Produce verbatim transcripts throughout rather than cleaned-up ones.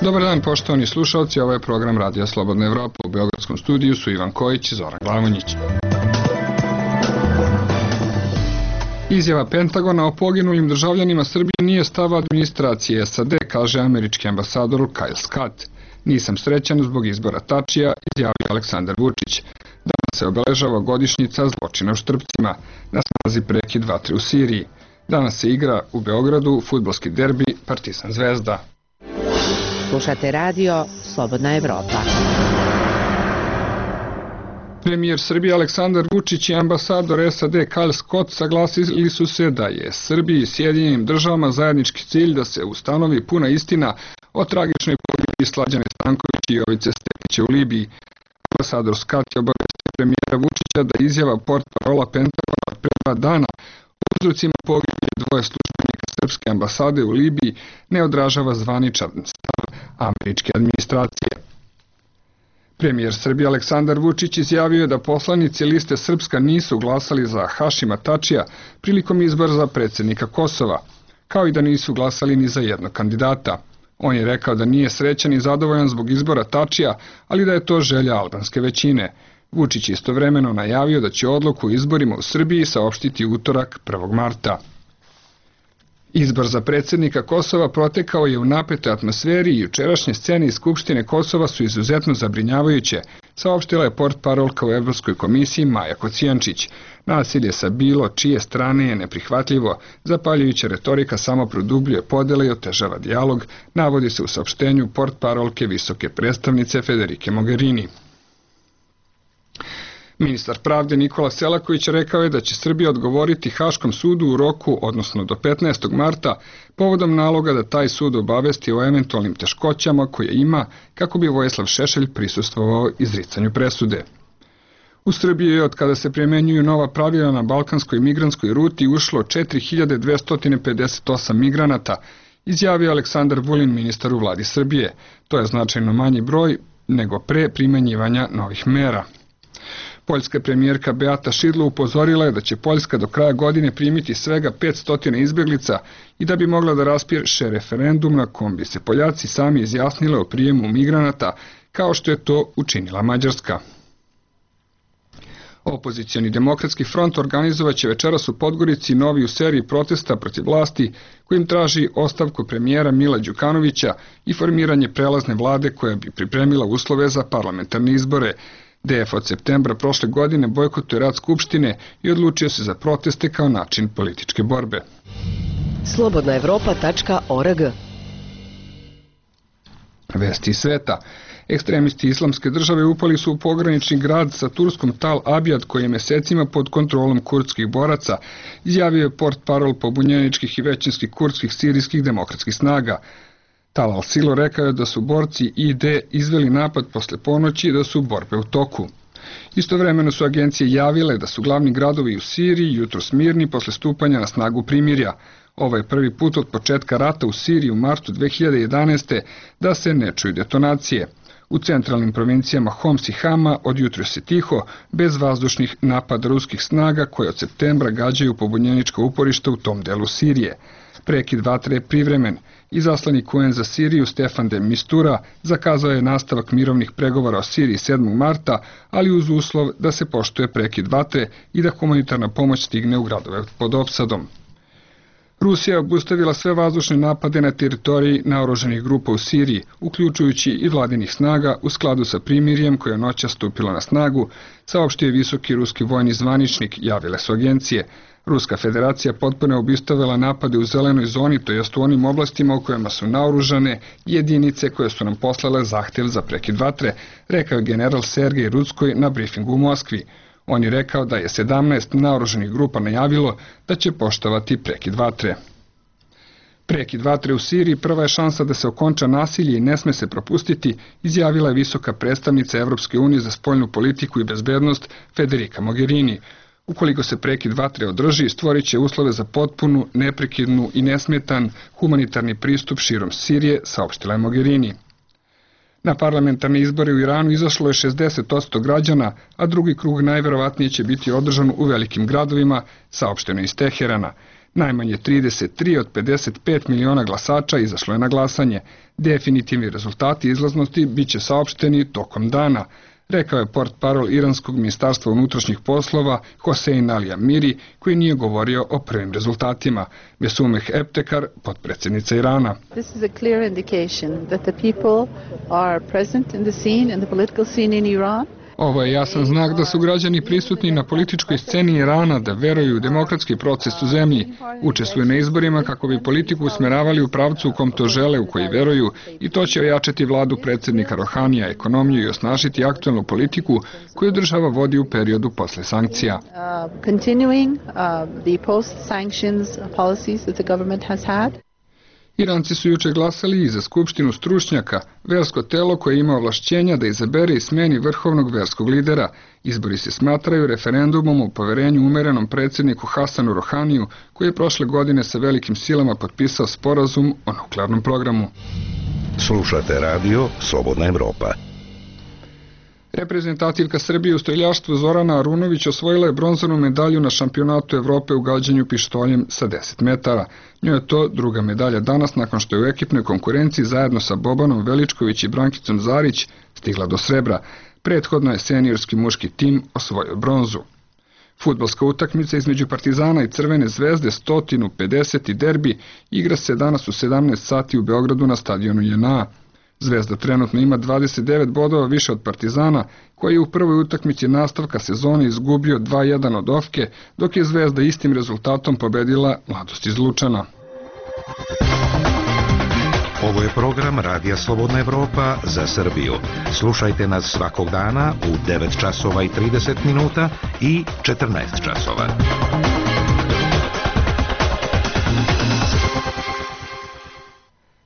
Dobar dan, poštovani slušalci, ovo je program Radija Slobodna Evropa. U Beogradskom studiju su Ivan Kojić i Zoran Glavonjić. Izjava Pentagona o poginulim državljanima Srbije nije stav administracije S A D, kaže američki ambasador Kyle Scott. Nisam srećan zbog izbora Tačija, izjavio Aleksandar Vučić. Danas se obeležava godišnjica zločina u Štrpcima, na snazi prekid vatre u Siriji. Danas se igra u Beogradu fudbalski derbi Partizan Zvezda. Slušate radio Slobodna Evropa. Premijer Srbije Aleksandar Vučić i ambasador S A D Kyle Scott saglasili su se da je Srbiji i Sjedinjenim državama zajednički cilj da se ustanovi puna istina o tragičnoj pogibiji Slađane Stanković i Jovice Stepića u Libiji. Ambasador Scott je obavestio premijera Vučića da izjava portparola Pentagona pre dva dana o uzrocima pogibije dvoje službenika srpske ambasade u Libiji ne odražava zvaničan stav američke administracije. Premijer Srbije Aleksandar Vučić izjavio je da poslanici liste Srpska nisu glasali za Hašima Tačija prilikom izbora za predsjednika Kosova, kao i da nisu glasali ni za jednog kandidata. On je rekao da nije srećan i zadovoljan zbog izbora Tačija, ali da je to želja albanske većine. Vučić istovremeno najavio da će odluku o izborima u Srbiji saopštiti utorak prvog marta. Izbor za predsjednika Kosova protekao je u napetoj atmosferi i jučerašnje scene iz Skupštine Kosova su izuzetno zabrinjavajuće, saopštila je portparolka u Evropskoj komisiji Maja Kocijančić. Nasilje sa bilo čije strane je neprihvatljivo, zapaljujuća retorika samo produbljuje podele i otežava dijalog, navodi se u saopštenju portparolke visoke predstavnice Federike Mogherini. Ministar pravde Nikola Selaković rekao je da će Srbija odgovoriti Haškom sudu u roku, odnosno do petnaestog marta, povodom naloga da taj sud obavesti o eventualnim teškoćama koje ima kako bi Vojislav Šešelj prisustvovao izricanju presude. U Srbiji je od kada se primjenjuju nova pravila na balkanskoj migrantskoj ruti ušlo četiri hiljade dvesta pedeset osam migranata, izjavio Aleksandar Vulin, ministar u vladi Srbije. To je značajno manji broj nego pre primenjivanja novih mera. Poljska premijerka Beata Šidlo upozorila je da će Poljska do kraja godine primiti svega petsto izbjeglica i da bi mogla da raspiše referendum na kom bi se Poljaci sami izjasnile o prijemu migranata, kao što je to učinila Mađarska. Opozicioni demokratski front organizovaće večeras u Podgorici novi u seriji protesta protiv vlasti kojim traži ostavku premijera Mila Đukanovića i formiranje prelazne vlade koja bi pripremila uslove za parlamentarne izbore. D F od septembra prošle godine bojkotuje rad Skupštine i odlučio se za proteste kao način političke borbe. slobodna evropa tačka org. Vesti iz sveta. Ekstremisti Islamske države upali su u pogranični grad sa Turskom Tal Abjad koji je mesecima pod kontrolom kurdskih boraca, izjavio je portparol pobunjeničkih i većinskih kurdskih sirijskih demokratskih snaga. Tal al-Silo rekao je da su borci I D izveli napad posle ponoći i da su borbe u toku. Istovremeno su agencije javile da su glavni gradovi u Siriji jutros mirni posle stupanja na snagu primirja. Ovo je prvi put od početka rata u Siriji u martu dve hiljade jedanaeste. da se ne čuju detonacije. U centralnim provincijama Homs i Hama od jutros je tiho, bez vazdušnih napada ruskih snaga koje od septembra gađaju pobunjenička uporišta u tom delu Sirije. Prekid vatre je privremen. Izaslanik U N za Siriju Stefan de Mistura zakazao je nastavak mirovnih pregovora o Siriji sedmog marta, ali uz uslov da se poštuje prekid vatre i da humanitarna pomoć stigne u gradove pod opsadom. Rusija je obustavila sve vazdušne napade na teritoriji naoružanih grupa u Siriji, uključujući i vladinih snaga u skladu sa primirjem koje je noćas stupilo na snagu, saopštio je visoki ruski vojni zvaničnik, javile su agencije. Ruska federacija potpuno je obustavila napade u zelenoj zoni, to jest u onim oblastima u kojima su naoružane jedinice koje su nam poslale zahtjev za prekid vatre, rekao je general Sergej Rudskoj na brifingu u Moskvi. On je rekao da je sedamnaest naoružanih grupa najavilo da će poštovati prekid vatre. Prekid vatre u Siriji prva je šansa da se okonča nasilje i ne sme se propustiti, izjavila je visoka predstavnica Evropske unije za spoljnu politiku i bezbednost Federica Mogherini. Ukoliko se prekid vatre održi, stvorit će uslove za potpunu, neprekidnu i nesmetan humanitarni pristup širom Sirije, saopštila je Mogherini. Na parlamentarne izbore u Iranu izašlo je šezdeset posto građana, a drugi krug najverovatnije će biti održan u velikim gradovima, saopšteno iz Teherana. Najmanje trideset tri od pedeset pet miliona glasača izašlo je na glasanje. Definitivni rezultati izlaznosti biće saopšteni tokom dana, rekao je portparol iranskog ministarstva unutrašnjih poslova Hosein Ali Amiri, koji nije govorio o prvim rezultatima. Besumeh Eptekar, potpredsjednica Irana. This is a clear indication that the people are present in the scene, in the political scene in Iran. Ovo je jasan znak da su građani prisutni na političkoj sceni Irana, da veruju u demokratski proces u zemlji, učestvuju na izborima kako bi politiku usmeravali u pravcu u kom to žele, u koji veruju, i to će ojačati vladu predsjednika Rohanija, ekonomiju i osnažiti aktualnu politiku koju država vodi u periodu posle sankcija. Uh, continuing uh, the post-sanctions policies that the government has had. Iranci su juče glasali i za skupštinu stručnjaka, versko telo koje ima ovlašćenja da izabere i smeni vrhovnog verskog lidera. Izbori se smatraju referendumom o poverenju umerenom predsjedniku Hasanu Rohaniju, koji je prošle godine sa velikim silama potpisao sporazum o nuklearnom programu. Slušate radio Slobodna Evropa. Reprezentativka Srbije u streljaštvu Zorana Arunović osvojila je bronzanu medalju na šampionatu Evrope u gađanju pištoljem sa deset metara. Njoj je to druga medalja danas nakon što je u ekipnoj konkurenciji zajedno sa Bobanom Veličković i Brankicom Zarić stigla do srebra. Prethodno je seniorski muški tim osvojio bronzu. Fudbalska utakmica između Partizana i Crvene zvezde sto pedeset derbi igra se danas u sedamnaest sati u Beogradu na stadionu J N A. Zvezda trenutno ima dvadeset devet bodova više od Partizana, koji je u prvoj utakmici nastavka sezone izgubio dva jedan od Ofke, dok je Zvezda istim rezultatom pobedila Mladost iz Lučana. Ovo je program Radija Slobodna Evropa za Srbiju. Slušajte nas svakog dana u devet časova i trideset minuta i četrnaest časova.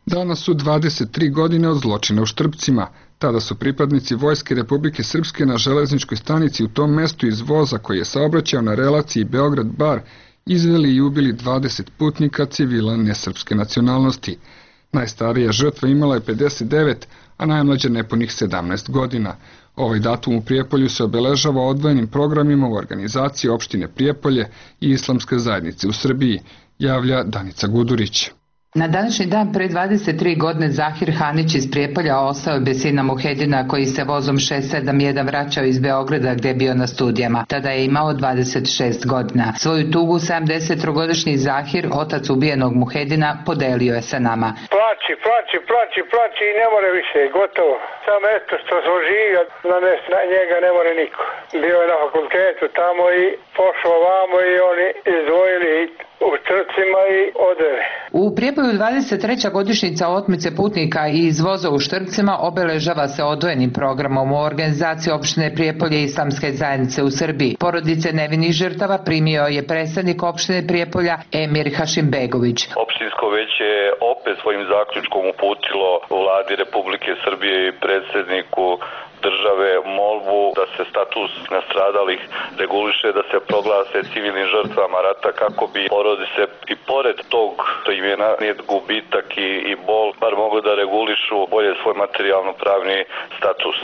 Danas su dvadeset tri godine od zločina u Štrpcima. Tada su pripadnici Vojske Republike Srpske na železničkoj stanici u tom mestu iz voza koji je saobraćao na relaciji Beograd-Bar izveli i ubili dvadeset putnika civila nesrpske nacionalnosti. Najstarija žrtva imala je pedeset devet, a najmlađa nepunih sedamnaest godina. Ovaj datum u Prijepolju se obeležava odvojenim programima u organizaciji opštine Prijepolje i Islamske zajednice u Srbiji, javlja Danica Gudurić. Na današnji dan pre dvadeset tri godine Zahir Hanić iz Prijepolja ostao je bez sina Muhedina koji se vozom šest sedam jedan vraćao iz Beograda gde je bio na studijama. Tada je imao dvadeset šest godina. Svoju tugu sedamdesettrogodišnji Zahir, otac ubijenog Muhedina, podelio je sa nama. Plači, plači, plači, plači i ne more više, gotovo. Samo eto što smo živio, na, na njega ne more niko. Bio je na fakultetu tamo i pošao vamo i oni izdvojili u Štrpcima i odveli. U Prijepolju dvadeset treća godišnjica otmice putnika iz voza u Štrpcima obeležava se odvojenim programom u organizaciji opštine Prijepolje i Islamske zajednice u Srbiji. Porodice nevinih žrtava primio je predstavnik opštine Prijepolja Emir Hašimbegović. Opštinsko veće je opet svojim zaključkom uputilo vladi Republike Srbije i predsjedniku države molbu da se status nastradalih reguliše, da se proglase civilnim žrtvama rata kako bi porodice i pored tog što im je nanijet gubitak i, i bol bar mogu da regulišu bolje svoj materijalno-pravni status.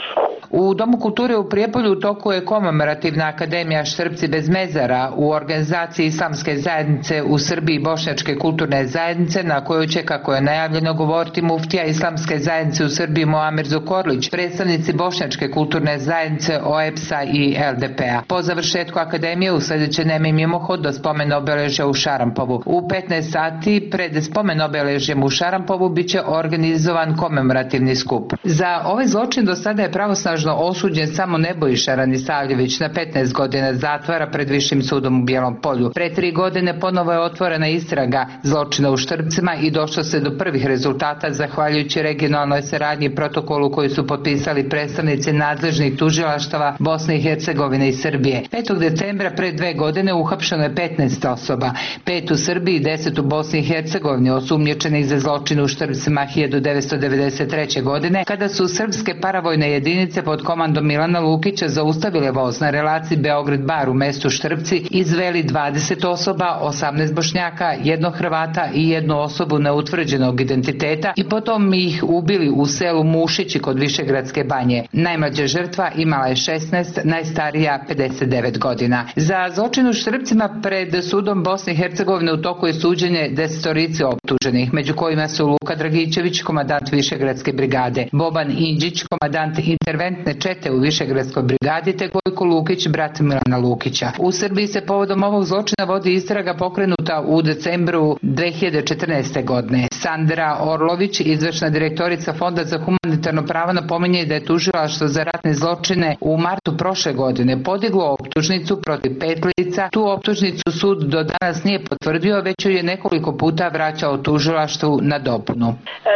U Domu kulture u Prijepolju u toku je komemorativna akademija Štrpci bez mezara u organizaciji Islamske zajednice u Srbiji i Bošnjačke kulturne zajednice, na kojoj će, kako je najavljeno, govoriti muftija Islamske zajednice u Srbiji Muamer Zukorlić, predstavnici Bošnjačke kulturne zajednice O E P S-a i L D P-a. Po završetku akademije usledit će nemi mimohod do spomen obeležja u Šarampovu. U petnaest sati pred spomen obeležjem u Šarampovu biće organizovan komemorativni skup. Za ovaj zločin do sada je pravosnažno osuđen samo Nebojša Ranisavljević na petnaest godina zatvora pred Višim sudom u Bijelom Polju. Pre tri godine ponovo je otvorena istraga zločina u Štrpcima i došlo se do prvih rezultata zahvaljujući regionalnoj saradnji i protokolu koji su potpisali predstavnici nadležnih tužilaštava Bosne i Hercegovine i Srbije. petog decembra pre dve godine uhapšeno je petnaest osoba, pet u Srbiji i deset u Bosni i Hercegovini, osumnjičenih za zločin u Štrpcima hiljadu devetsto devedeset treće. godine, kada su srpske paravojne jedinice pod komandom Milana Lukića zaustavile voz na relaciji Beograd-Bar u mestu Štrpci, izveli dvadeset osoba, osamnaest Bošnjaka, jednog Hrvata i jednu osobu neutvrđenog identiteta i potom ih ubili u selu Mušići kod Višegradske banje. Na Najmlađa žrtva imala je šesnaest, najstarija pedeset devet godina. Za zločin u Štrpcima pred sudom Bosne i Hercegovine u toku je suđenje desetorici optuženih, među kojima su Luka Dragićević, komandant Višegradske brigade, Boban Indžić, komandant interventne čete u Višegradskoj brigadi, te Gojko Lukić, brat Milana Lukića. U Srbiji se povodom ovog zločina vodi istraga pokrenuta u decembru dve hiljade četrnaeste. godine. Sandra Orlović, izvršna direktorica Fonda za humanitarno pravo, napominje da je tužilaštvo za ratne zločine u martu prošle godine podiglo optužnicu protiv pet lica. Tu optužnicu sud do danas nije potvrdio, već ju je nekoliko puta vraćao tužilaštvu na dopunu.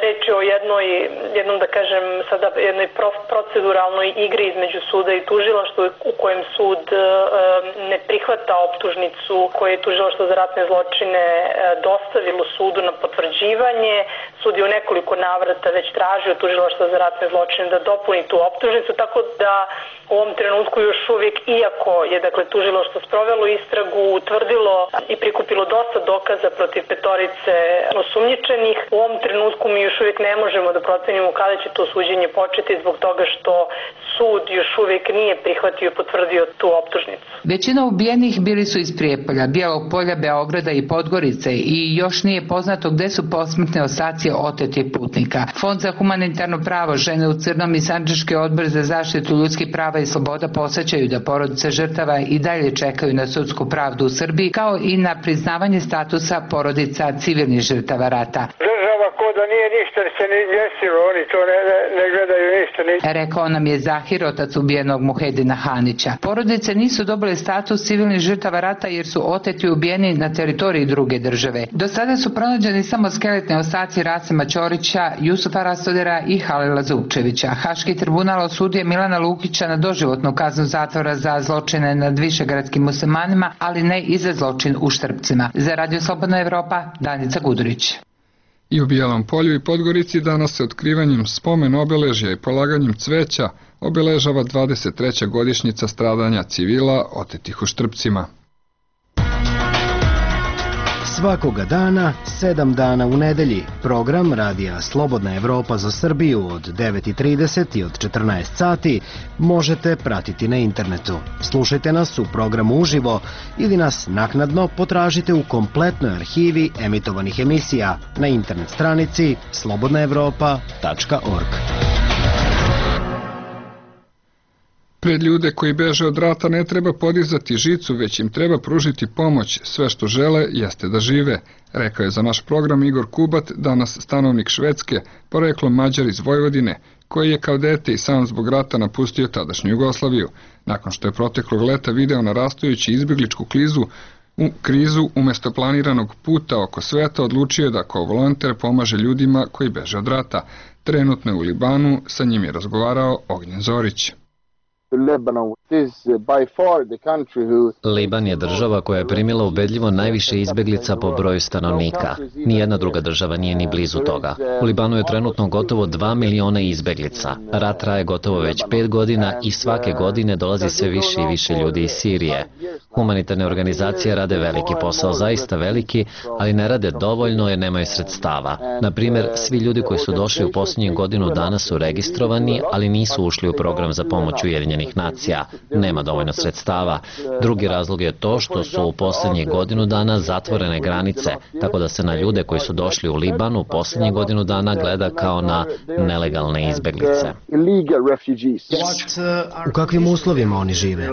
Reč je o jednoj, jednom da kažem sada jednoj proceduralnoj igri između suda i tužilaštva u kojem sud e, ne prihvata optužnicu koju je tužilaštvo za ratne zločine e, dostavilo sudu na potvrđivanje. Sud je u nekoliko navrata već tražio tužilaštvo za ratne zločine da dopuni tu optužnicu, tako da u ovom trenutku još uvijek, iako je dakle tužilaštvo sprovelo istragu, utvrdilo i prikupilo dosta dokaza protiv petorice osumnjičenih, u ovom trenutku mi još uvijek ne možemo da procenimo kada će to suđenje početi zbog toga što sud još uvijek nije prihvatio i potvrdio tu optužnicu. Većina ubijenih bili su iz Prijepolja, Bijelog Polja, Beograda i Podgorice i još nije poznato gde su posmrtne ostaci otetih putnika. Fond za humanitarno pravo, Žene u crnom i Sandžački odbor za zaštitu ljudskih prava i sloboda podsećaju da porodice žrtava i dalje čekaju na sudsku pravdu u Srbiji, kao i na priznavanje statusa porodica civilnih žrtava rata. Država ko da nije ništa se ni desilo, oni to ne, ne, ne gledaju ništa. Ni... Rekao nam je Zahir, otac ubijenog Muhedina Hanića. Porodice nisu dobile status civilnih žrtava rata jer su oteti i ubijeni na teritoriji druge države. Do sada su pronađeni samo skeletne ostaci Rasima Ćorića, Jusufa Rastodera i Halila Zupčevića. Haški tribunal osudio Milana Lukića na doživotnu kaznu zatvora za zločine nad višegradskim muslimanima, ali ne i za zločin u Štrpcima. Za Radio Slobodna Evropa, Danica Gudurić. I u Bijelom Polju i Podgorici danas se otkrivanjem spomen obeležja i polaganjem cveća obeležava dvadeset treća godišnjica stradanja civila otetih u Štrpcima. Svakoga dana, sedam dana u nedelji, program Radija Slobodna Evropa za Srbiju od devet i trideset i od četrnaest sati možete pratiti na internetu. Slušajte nas u programu uživo ili nas naknadno potražite u kompletnoj arhivi emitovanih emisija na internet stranici slobodna evropa tačka org. Pred ljude koji beže od rata ne treba podizati žicu, već im treba pružiti pomoć. Sve što žele jeste da žive, rekao je za naš program Igor Kubat, danas stanovnik Švedske, poreklom Mađar iz Vojvodine, koji je kao dete i sam zbog rata napustio tadašnju Jugoslaviju. Nakon što je proteklog leta video narastajući izbjegličku krizu, u krizu umjesto planiranog puta oko sveta, odlučio je da kao volonter pomaže ljudima koji beže od rata. Trenutno je u Libanu, sa njim je razgovarao Ognjen Zorić. Liban je država koja je primila ubedljivo najviše izbeglica po broju stanovnika. Nijedna druga država nije ni blizu toga. U Libanu je trenutno gotovo dva miliona izbeglica. Rat traje gotovo već pet godina i svake godine dolazi sve više i više ljudi iz Sirije. Humanitarne organizacije rade veliki posao, zaista veliki, ali ne rade dovoljno jer nemaju sredstava. Na primjer, svi ljudi koji su došli u posljednjih godinu dana su registrovani, ali nisu ušli u program za pomoć Ujedinjenih nacija. Nema dovoljno sredstava. Drugi razlog je to što su u posljednjih godinu dana zatvorene granice, tako da se na ljude koji su došli u Libanu u posljednjih godinu dana gleda kao na nelegalne izbeglice. U kakvim uslovima oni žive?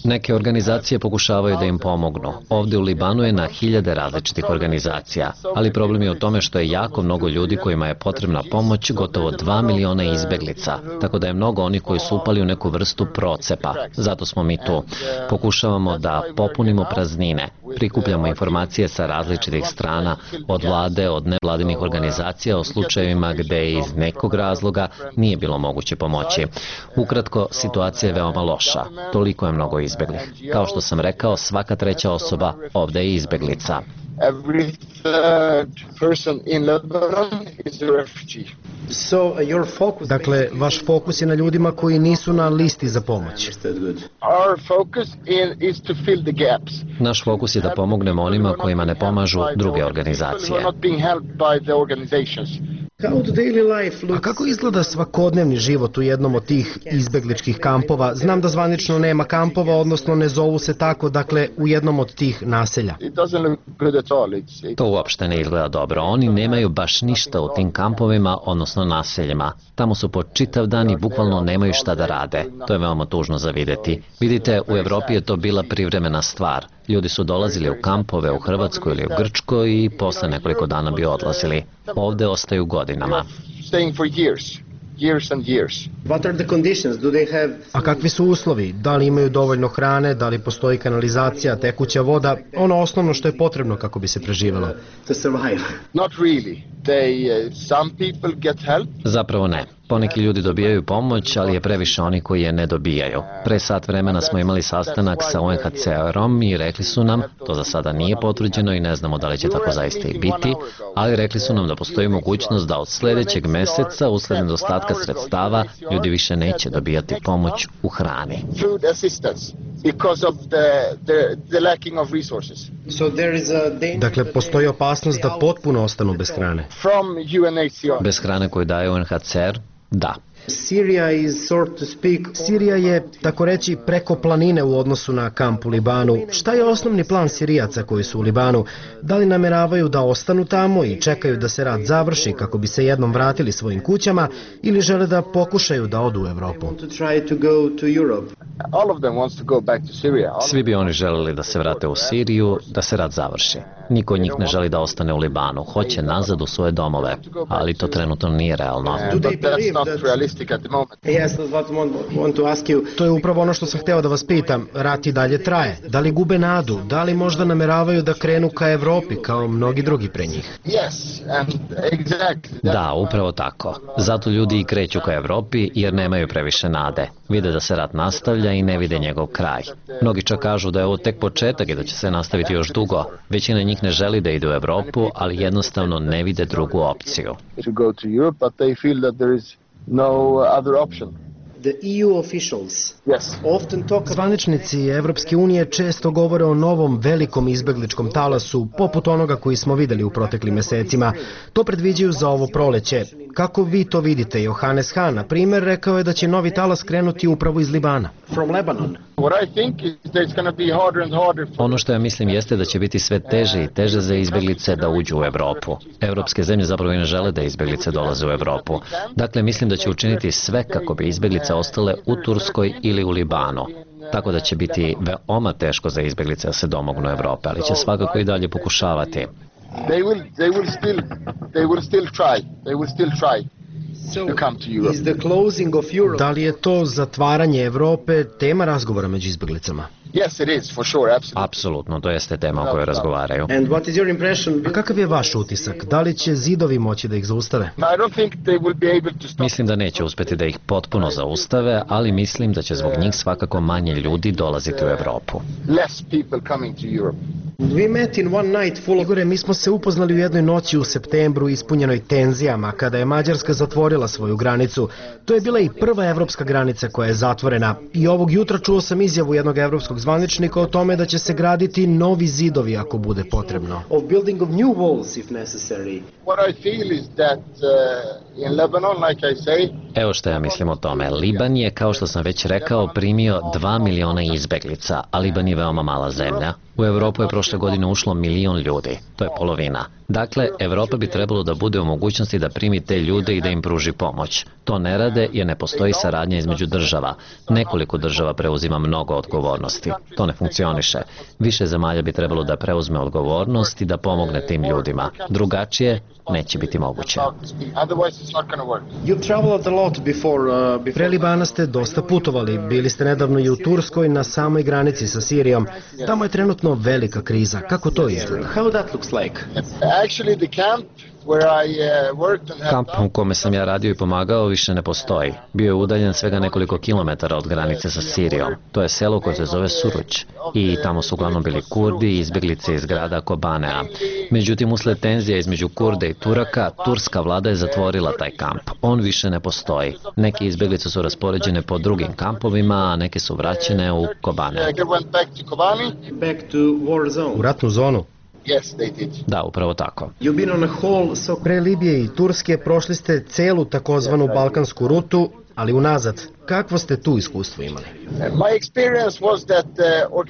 Neke organizacije pokušavaju da im pomognu. Ovdje u Libanu je na hiljade različitih organizacija, ali problem je u tome što je jako mnogo ljudi kojima je potrebna pomoć, gotovo dva miliona izbeglica, tako da je mnogo onih koji su upali u neku vrstu procepa. Zato smo mi tu. Pokušavamo da popunimo praznine, prikupljamo informacije sa različitih strana, od vlade, od nevladinih organizacija o slučajevima gde iz nekog razloga nije bilo moguće pomoći. Ukratko, situacija je veoma loša. Toliko je mnogo izbeglih. Kao što sam rekao, svaka treća osoba ovdje je izbeglica. Dakle, vaš fokus je na ljudima koji nisu na listi za pomoć. Naš fokus je da pomognemo onima kojima ne pomažu druge organizacije. A kako izgleda svakodnevni život u jednom od tih izbegličkih kampova? Znam da zvanično nema kampova, odnosno ne zovu se tako, dakle u jednom od tih naselja. To uopšte ne izgleda dobro. Oni nemaju baš ništa u tim kampovima, odnosno naseljima. Tamo su po čitav dan i bukvalno nemaju šta da rade. To je veoma tužno za videti. Vidite, u Evropi je to bila privremena stvar. Ljudi su dolazili u kampove u Hrvatskoj ili u Grčkoj i posle nekoliko dana bi odlazili. Ovde ostaju godinama. A kakvi su uslovi? Da li imaju dovoljno hrane, da li postoji kanalizacija, tekuća voda, ono osnovno što je potrebno kako bi se preživelo? Zapravo ne. Poneki ljudi dobijaju pomoć, ali je previše oni koji je ne dobijaju. Pre sat vremena smo imali sastanak sa U N H C R-om i rekli su nam, to za sada nije potvrđeno i ne znamo da li će tako zaista i biti, ali rekli su nam da postoji mogućnost da od sledećeg meseca, usled nedostatka sredstava, ljudi više neće dobijati pomoć u hrani. Dakle, postoji opasnost da potpuno ostanu bez hrane. Bez hrane koju daje U N H C R? Da. Sirija je, tako reći, preko planine u odnosu na kamp u Libanu. Šta je osnovni plan Sirijaca koji su u Libanu? Da li nameravaju da ostanu tamo i čekaju da se rat završi kako bi se jednom vratili svojim kućama ili žele da pokušaju da odu u Evropu? Svi bi oni želeli da se vrate u Siriju, da se rat završi. Niko od njih ne želi da ostane u Libanu, hoće nazad u svoje domove, ali to trenutno nije realno. To je upravo ono što sam hteo da vas pitam. Rat i dalje traje. Da li gube nadu? Da li možda nameravaju da krenu ka Evropi kao mnogi drugi pre njih? Da, upravo tako. Zato ljudi i kreću ka Evropi jer nemaju previše nade. Vide da se rat nastavlja i ne vide njegov kraj. Mnogi čak kažu da je ovo tek početak i da će se nastaviti još dugo. Većina njih ne želi da ide u Evropu, ali jednostavno ne vide drugu opciju. Zvaničnici Evropske unije često govore o novom velikom izbegličkom talasu, poput onoga koji smo videli u proteklim mesecima. To predviđaju za ovo proleće. Kako vi to vidite? Johannes Hahn, na primer, rekao je da će novi talas krenuti upravo iz Libana. Ono što ja mislim jeste da će biti sve teže i teže za izbeglice da uđu u Evropu. Evropske zemlje zapravo i ne žele da izbeglice dolaze u Evropu. Dakle, mislim da će učiniti sve kako bi izbeglice ostale u Turskoj ili u Libanu. Tako da će biti veoma teško za izbeglice da se domognu Evrope, ali će svakako i dalje pokušavati. They will, they will still, they will still try. They will still try to come to Europe. Da li je to zatvaranje Evrope tema razgovora među izbeglicama? Yes, it is, for sure, absolutely. Apsolutno, to jeste tema o kojoj razgovaraju. And what is your impression? A kakav je vaš utisak? Da li će zidovi moći da ih zaustave? I don't think they will be able to stop. Mislim da neće uspeti da ih potpuno zaustave, ali mislim da će zbog njih svakako manje ljudi dolaziti u Evropu. Less people coming to Europe. We met in one night full of... Igore, mi smo se upoznali u jednoj noći u septembru ispunjenoj tenzijama, kada je Mađarska zatvorila svoju granicu. To je bila i prva evropska granica koja je zatvorena. I ovog jutra čuo sam izjavu jednog evropskog zvaničnika o tome da će se graditi novi zidovi ako bude potrebno. Of building of new walls if necessary. What I feel is that uh, in Lebanon, like I say... Evo što ja mislim o tome. Liban je, kao što sam već rekao, primio dva miliona izbeglica, a Liban je veoma mala zemlja. U Evropu je prošle godine ušlo milion ljudi. To je polovina. Dakle, Evropa bi trebalo da bude u mogućnosti da primi te ljude i da im pruži pomoć. To ne rade jer ne postoji saradnja između država. Nekoliko država preuzima mnogo odgovornosti. To ne funkcioniše. Više zemalja bi trebalo da preuzme odgovornost i da pomogne tim ljudima. Drugačije neće biti moguće. Pre Libana ste dosta putovali. Bili ste nedavno i u Turskoj na samoj granici sa Sirijom. Tamo je trenutno velika kriza. Kako to izgleda? Kamp u kome sam ja radio i pomagao više ne postoji. Bio je udaljen svega nekoliko kilometara od granice sa Sirijom. To je selo koje se zove Suruć i tamo su uglavnom bili Kurdi i izbeglice iz grada Kobanea. Međutim, usled tenzija između Kurde i Turaka, turska vlada je zatvorila taj kamp. On više ne postoji. Neke izbeglice su raspoređene po drugim kampovima, a neke su vraćene u Kobane. U ratnu zonu? Yes, they did. Da, upravo tako. Pre Libije i Turske prošli ste celu takozvanu balkansku rutu, ali unazad. Kakvo ste tu iskustvo imali?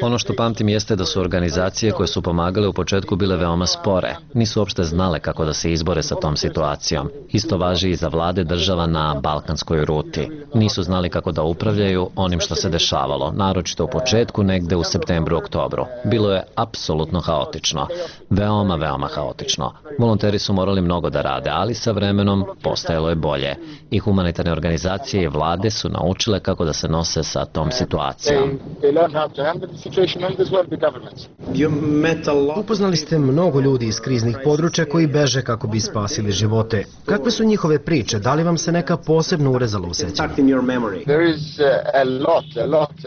Ono što pamtim jeste da su organizacije koje su pomagale u početku bile veoma spore. Nisu uopšte znale kako da se izbore sa tom situacijom. Isto važi i za vlade država na balkanskoj ruti. Nisu znali kako da upravljaju onim što se dešavalo, naročito u početku negde u septembru, oktobru. Bilo je apsolutno haotično. Veoma, veoma haotično. Volonteri su morali mnogo da rade, ali sa vremenom postajalo je bolje. I humanitarne organizacije i vlade su naučile kako da se nose sa tom situacijom. Upoznali ste mnogo ljudi iz kriznih područja koji beže kako bi spasili živote. Kakve su njihove priče? Da li vam se neka posebno urezala u sećanju?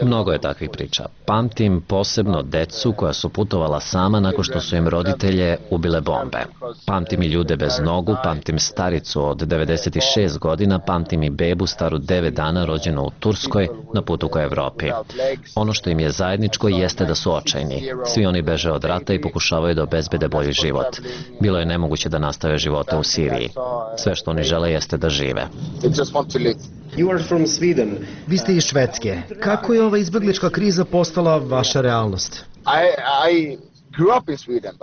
Mnogo je takvih priča. Pamtim posebno decu koja su putovala sama nakon što su im roditelje ubile bombe. Pamtim i ljude bez nogu, pamtim staricu od devedeset šest godina, pamtim i bebu staru devet dana rođenu u Turskoj na putu ka Evropi. Ono što im je zajedničko jeste da su očajni. Svi oni beže od rata i pokušavaju da obezbede bolji život. Bilo je nemoguće da nastave živote u Siriji. Sve što oni žele jeste da žive. Vi ste iz Švedske. Kako je ova izbeglička kriza postala vaša realnost?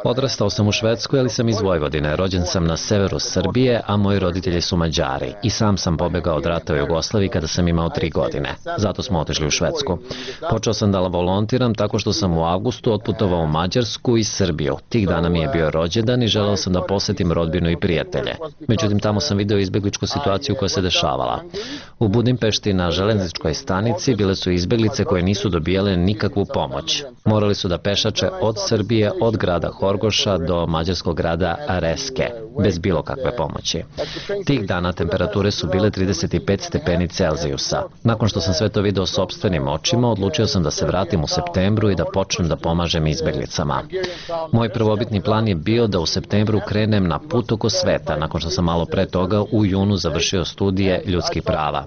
Odrastao sam u Švedskoj, ali sam iz Vojvodine. Rođen sam na severu Srbije, a moji roditelji su Mađari. I sam sam pobegao od rata u Jugoslaviji kada sam imao tri godine. Zato smo otišli u Švedsku. Počeo sam da volontiram tako što sam u avgustu otputovao u Mađarsku i Srbiju. Tih dana mi je bio rođendan i želeo sam da posetim rodbinu i prijatelje. Međutim, tamo sam video izbegličku situaciju koja se dešavala. U Budimpešti na železničkoj stanici bile su izbeglice koje nisu dobijale nikakvu pomoć. Morali su da pešače od Srbije, od grada Horgoša do mađarskog grada Reske, bez bilo kakve pomoći. Tih dana temperature su bile trideset pet stepeni Celzijusa. Nakon što sam sve to video sopstvenim očima, odlučio sam da se vratim u septembru i da počnem da pomažem izbeglicama. Moj prvobitni plan je bio da u septembru krenem na put oko sveta, nakon što sam malo pre toga u junu završio studije ljudskih prava.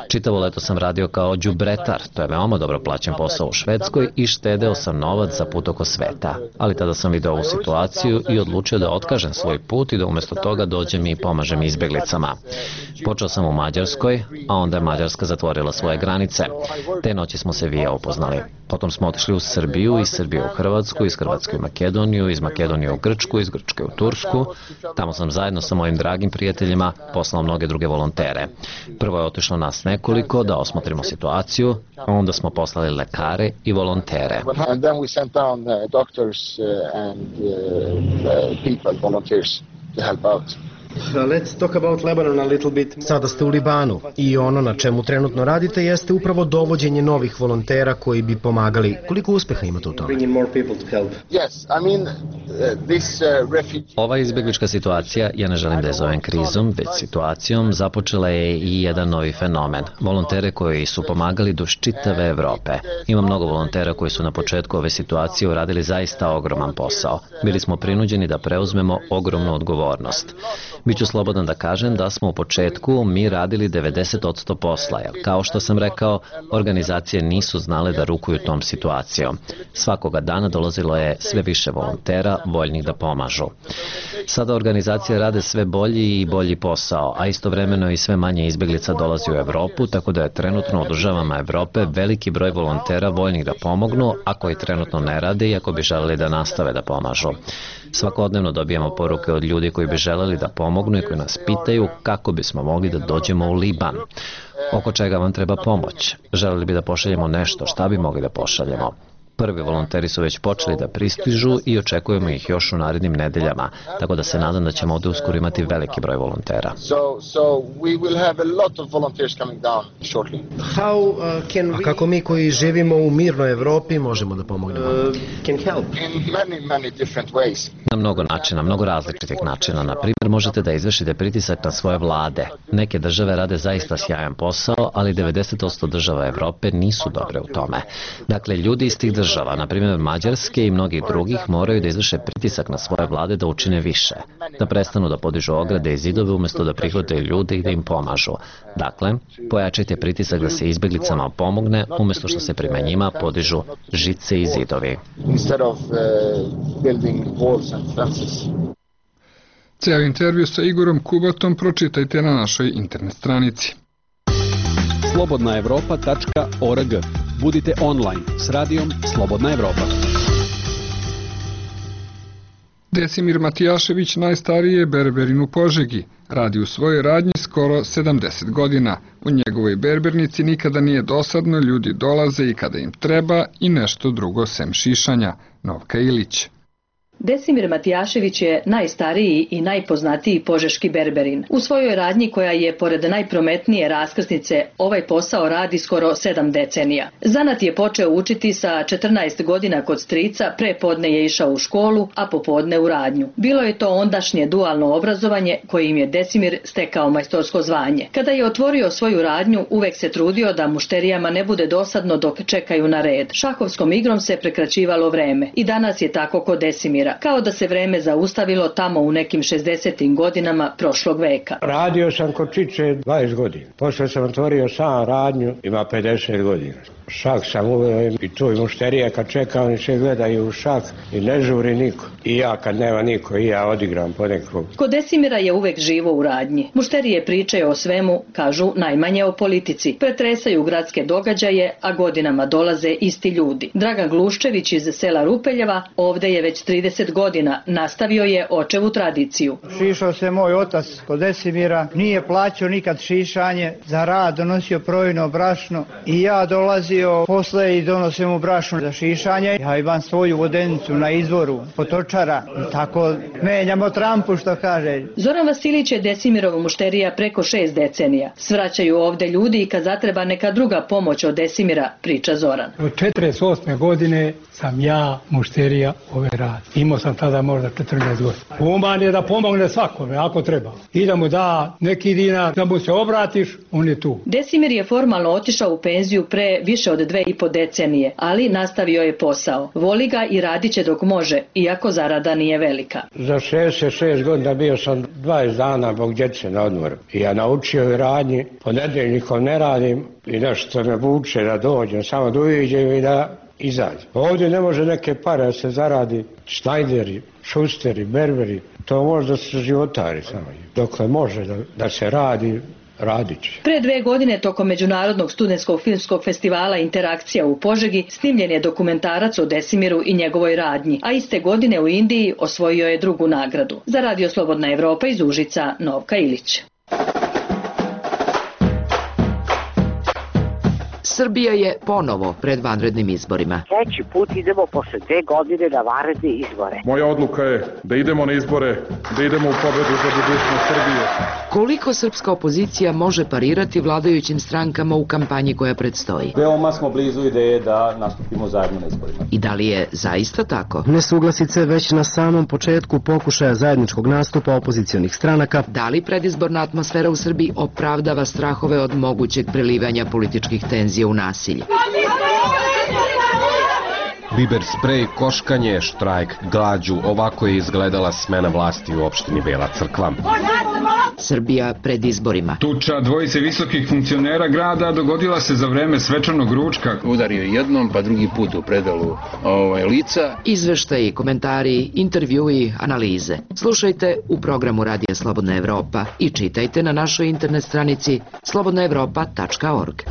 Čitavo leto sam radio kao đubretar, to je veoma dobro plaćen posao u Švedskoj, i štedeo sam novac za put oko sveta. Ali tada sam video ovu situaciju i odlučio da otkažem svoj put i da umjesto toga dođem i pomažem izbeglicama. Počeo sam u Mađarskoj, a onda je Mađarska zatvorila svoje granice. Te noći smo se vija upoznali. Potom smo otišli u Srbiju, iz Srbije u Hrvatsku, iz Hrvatske u Makedoniju, iz Makedonije u Grčku, iz Grčke u Tursku. Tamo sam zajedno sa mojim dragim prijateljima poslao mnoge druge volontere. Prvo je otišlo nas nekoliko da osmotrimo situaciju, a onda smo poslali lekare i volontere. and uh, uh, people, volunteers, to help out. Let's talk about Lebanon a little bit. Sada ste u Libanu i ono na čemu trenutno radite jeste upravo dovođenje novih volontera koji bi pomagali. Koliko uspeha imate u tome? Yes, I mean, uh, this uh, refugee... Ova izbeglička situacija, ja ne želim da je zovem krizom, već situacijom, započela je i jedan novi fenomen. Volontere koji su pomagali duž čitave Evrope. Ima mnogo volontera koji su na početku ove situacije uradili zaista ogroman posao. Bili smo prinuđeni da preuzmemo ogromnu odgovornost. Biću slobodan da kažem da smo u početku mi radili devedeset posto posla, jer kao što sam rekao, organizacije nisu znale da rukuju tom situacijom. Svakoga dana dolazilo je sve više volontera voljnih da pomažu. Sada organizacije rade sve bolji i bolji posao, a istovremeno i sve manje izbeglica dolazi u Evropu, tako da je trenutno u državama Evrope veliki broj volontera voljnih da pomognu, a koji trenutno ne rade i ako bi želeli da nastave da pomažu. Svakodnevno dobijamo poruke od ljudi koji bi želeli da pomognu i koji nas pitaju kako bismo mogli da dođemo u Liban. Oko čega vam treba pomoć? Želeli bi da pošaljemo nešto, šta bi mogli da pošaljemo? Prvi volonteri su već počeli da pristižu i očekujemo ih još u narednim nedeljama, tako da se nadam da ćemo ovdje uskoro imati veliki broj volontera. A kako mi koji živimo u mirnoj Evropi možemo da pomognemo? Na mnogo načina, mnogo različitih načina. Na primjer, možete da izvršite pritisak na svoje vlade. Neke države rade zaista sjajan posao, ali devedeset posto država Evrope nisu dobre u tome. Dakle, ljudi iz tih država, na primjer Mađarske i mnogih drugih, moraju da izvrše pritisak na svoje vlade da učine više. da prestanu da podižu ograde i zidove umjesto da prihvataju ljude i da im pomažu. Dakle, pojačajte pritisak da se izbjeglicama pomogne umjesto što se prema njima podižu žice i zidovi. Ceo intervju sa Igorom Kubatom pročitajte na našoj internet stranici. slobodna evropa tačka org. Budite online s radijom Slobodna Evropa. Desimir Matijašević najstariji je berberin u Požegi. Radi u svojoj radnji skoro sedamdeset godina. U njegovoj berbernici nikada nije dosadno, ljudi dolaze i kada im treba i nešto drugo sem šišanja. Novka Ilić. Desimir Matijašević je najstariji i najpoznatiji požeški berberin. U svojoj radnji koja je pored najprometnije raskrsnice ovaj posao radi skoro sedam decenija. Zanat je počeo učiti sa četrnaest godina kod strica, pre podne je išao u školu, a popodne u radnju. Bilo je to ondašnje dualno obrazovanje kojim je Desimir stekao majstorsko zvanje. Kada je otvorio svoju radnju, uvek se trudio da mušterijama ne bude dosadno dok čekaju na red. Šahovskom igrom se prekraćivalo vreme. I danas je tako kod Desimira. Kao da se vreme zaustavilo tamo u nekim šezdesetim godinama prošlog veka. Radio sam kod Čiče dvadeset godina. Posle sam otvorio sam radnju, ima pedeset godina. Šak sam uveo i tu i mušterije kad čeka, oni se gledaju u šak i ne žuri niko. I ja kad nema niko, i ja odigram po nekog. Kod Desimira je uvek živo u radnji. Mušterije pričaju o svemu, kažu najmanje o politici. Pretresaju gradske događaje, a godinama dolaze isti ljudi. Dragan Gluščević iz sela Rupeljeva ovde je već trideset godina, nastavio je očevu tradiciju. Šišao se moj otac kod Desimira, nije plaćao nikad šišanje, za rad donosio projno brašno i ja dolazio posle i donosim mu brašno za šišanje. Ja imam svoju vodenicu na izvoru, potočara, tako menjamo trampu što kaže. Zoran Vasilić je Desimirov mušterija preko šest decenija. Svraćaju ovde ljudi i kad zatreba neka druga pomoć od Desimira, priča Zoran. Od četrdeset osme godine sam ja mušterija ove rad. Imao sam tada možda četrnaest godina. Human je da pomogne svakome, ako treba. I da mu da neki dinar, da mu se obratiš, on je tu. Desimir je formalno otišao u penziju pre više od dve i po decenije, ali nastavio je posao. Voli ga i radit će dok može, iako zarada nije velika. Za šezdeset šest godina bio sam dvadeset dana zbog djece na odmoru. I ja naučio i radnji, ponedeljnikom ne radim i nešto me vuče da dođem, samo da uviđem i da izađem. Ovdje ne može neke pare da se zaradi, šnajderi, šusteri, berberi, to može da se životari samo. Dokle može da, da se radi, radit će. Pre dve godine tokom Međunarodnog studentskog filmskog festivala Interakcija u Požegi snimljen je dokumentarac o Desimiru i njegovoj radnji, a iste godine u Indiji osvojio je drugu nagradu. Za Radio Slobodna Evropa iz Užica, Novka Ilić. Srbija je ponovo pred vanrednim izborima. Treći put idemo posle dve godine na vanredne izbore. Moja odluka je da idemo na izbore, da idemo u pobedu za budućnost Srbije. Koliko srpska opozicija može parirati vladajućim strankama u kampanji koja predstoji? Veoma smo blizu ideje da nastupimo zajedno na izborima. I da li je zaista tako? Nesuglasice već na samom početku pokušaja zajedničkog nastupa opozicionih stranaka. Da li predizborna atmosfera u Srbiji opravdava strahove od mogućeg prelivanja političkih tenzija u nasilje? Biber sprej, koškanje, štrajk, glađu, ovako je izgledala smena vlasti u opštini Bela Crkva. Srbija pred izborima. Tuča dvojice visokih funkcionera grada dogodila se za vreme svečanog ručka. Udario jednom, pa drugi put u predalu ovaj, lica. Izveštaji, komentari, intervjui, analize. Slušajte u programu Radija Slobodna Evropa i čitajte na našoj internet stranici slobodna evropa tačka org.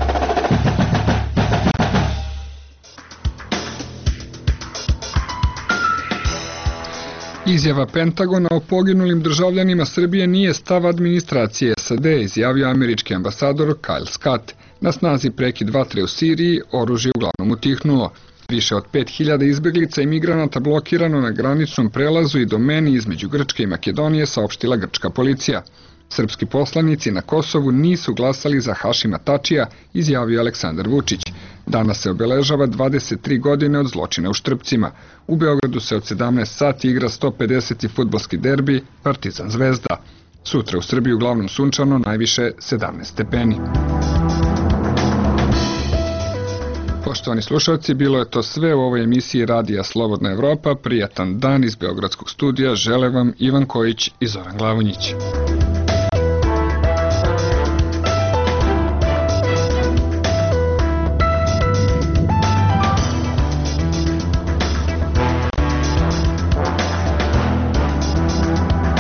Izjava Pentagona o poginulim državljanima Srbije nije stav administracije S A D, izjavio američki ambasador Kyle Scott. Na snazi prekid vatre u Siriji, oružje uglavnom utihnulo. Više od pet hiljada izbeglica i migranata blokirano na graničnom prelazu i domeni između Grčke i Makedonije, saopštila grčka policija. Srpski poslanici na Kosovu nisu glasali za Hašima Tačija, izjavio Aleksandar Vučić. Danas se obeležava dvadeset tri godine od zločina u Štrpcima. U Beogradu se od sedamnaest sati igra sto pedeseti fudbalski derbi Partizan Zvezda. Sutra u Srbiji uglavnom sunčano, najviše sedamnaest stepeni. Poštovani slušalci, bilo je to sve u ovoj emisiji Radija Slobodna Evropa. Prijatan dan iz Beogradskog studija žele vam Ivan Kojić i Zoran Glavonjić.